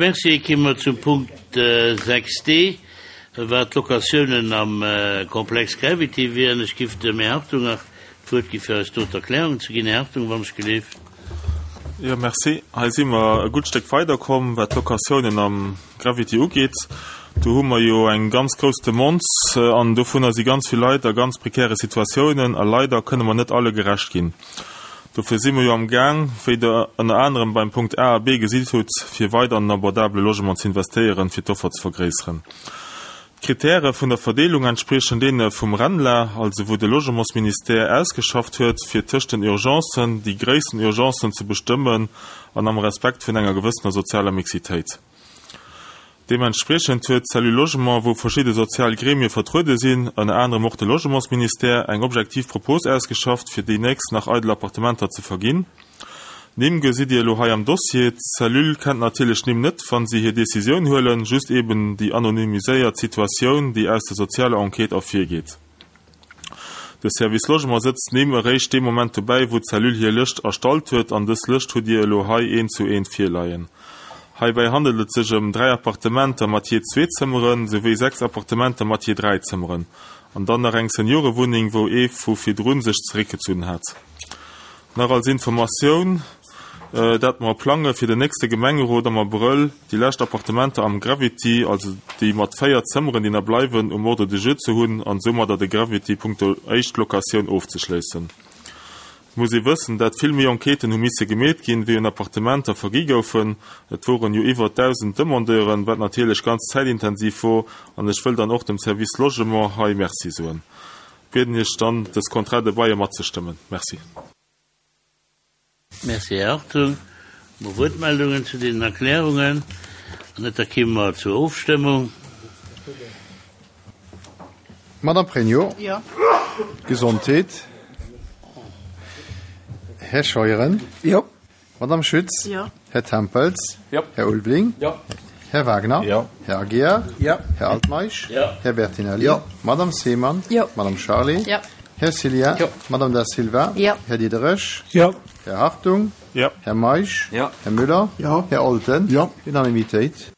Merci. Ki mer zum Punkt 6 D, wat d'Locatiounen am Komplex Gravity wieren. Ech giff dem Här Hartung nach d'Wuert gi fir eis do d'Erklärungen ze ginn. Här Hartung, wann ech gelift. Jo, merci. Hei si mer e gutt Stéck weiderkomm, wat d'Locatiounen am Gravity ugeet. Do hu mer jo eng ganz grouss Demande an dovunner si ganz vill Leit a ganz prekäre Situatiounen a leider kënne mer net alle gerecht ginn. Dofir si mer jo am Gaang, wéi Der ënner anerem beim Punkt A a B gesitt hutt, fir weider an den abordabele Logement ze investéieren, fir d'Offer ze vergréisseren. D'Kritäre vun der Verdeelung entspriechen deene vum RENLA, also wou de Logementsministère ausgeschafft huet, fir tëscht den Urgencen déi gréissten Urgencen ze bestëmmen an am Respekt vun enger gewëssener sozialer Mixitéit. Deementspriechend huet d'Cellule Logement, wou verschidde sozial Gremie vertruede sinn, ënner anerem och de Logementsministère, eng objektiv Propos ausgeschafft, fir déi nächst nach eidel Appartementer ze verginn. D'Nimm gesitt Dir elo hei am Dossier. D'Cellule kennt natierlech d'Nimm net, wa si hir Decisioun huelen, just eben déi anonymiséiert Situatioun, déi aus der sozialer Enquête ervirgeet. De Service Logement sëtzt d'Nimm eréischt dee Moment dobäi, wou d'Cellule hir Lëscht erstallt huet, an dës Lëscht hutt Dir elo hei eent zu eent virleien. Heibäi handelt et sech ëm 3 Appartementer mat jee zwee Zëmmeren, souwéi 6 Appartementer mat jee 3 Zëmmeren, an dann nach eng Seniorewunneng, wou ee vu virdrun sech zeréckgezunn hat. Nach als Informatioun, dat mer plange fir den nächste Gemengerot am Abrëll déi lescht Appartementer am Gravity, also déi mat 4 Zëmmeren, déi nach bleiwen, um Ordre du jour ze hunn an soumadder de Gravity punkto Éischt-Locatioun ofzeschléissen. Et muss ee wëssen, dat vill méi Enquêten hu misse gemeet ginn, wéi un Appartementer vergi goufen. Et woren jo iwwer 1.000 Demandeuren, wat natierlech ganz zäitintensiv wor an ech wëll dann och dem Service Logement hei Merci soen. Bieden Iech dann, dës Contrat de bail matzestëmmen. Merci. Merci, Här Hartung. Hu mer Wuertmeldungen zu deenen Erklärungen? Wann net, da kimme mer zur Ofstëmmung. Madame Pregno. Jo. Gesondheet. Här Scheuren. Jo. Madame Schütz. Jo. Här Tempels. Jo. Här Ulveling. Jo. Här Wagner. Jo. Här Aguiar. Jo. Här Altmeisch. Jo. Här Bertinelli. Jo. Madame Seemann. Jo. Madame Charlé. Jo. Här Cillien. Jo. Madame Da Silva. Jo. Här Diderich. Jo. Här Hartung. Jo. Här Meisch. Jo. Här Müller. Jo. Här Olten. Jo. Unanimitéit.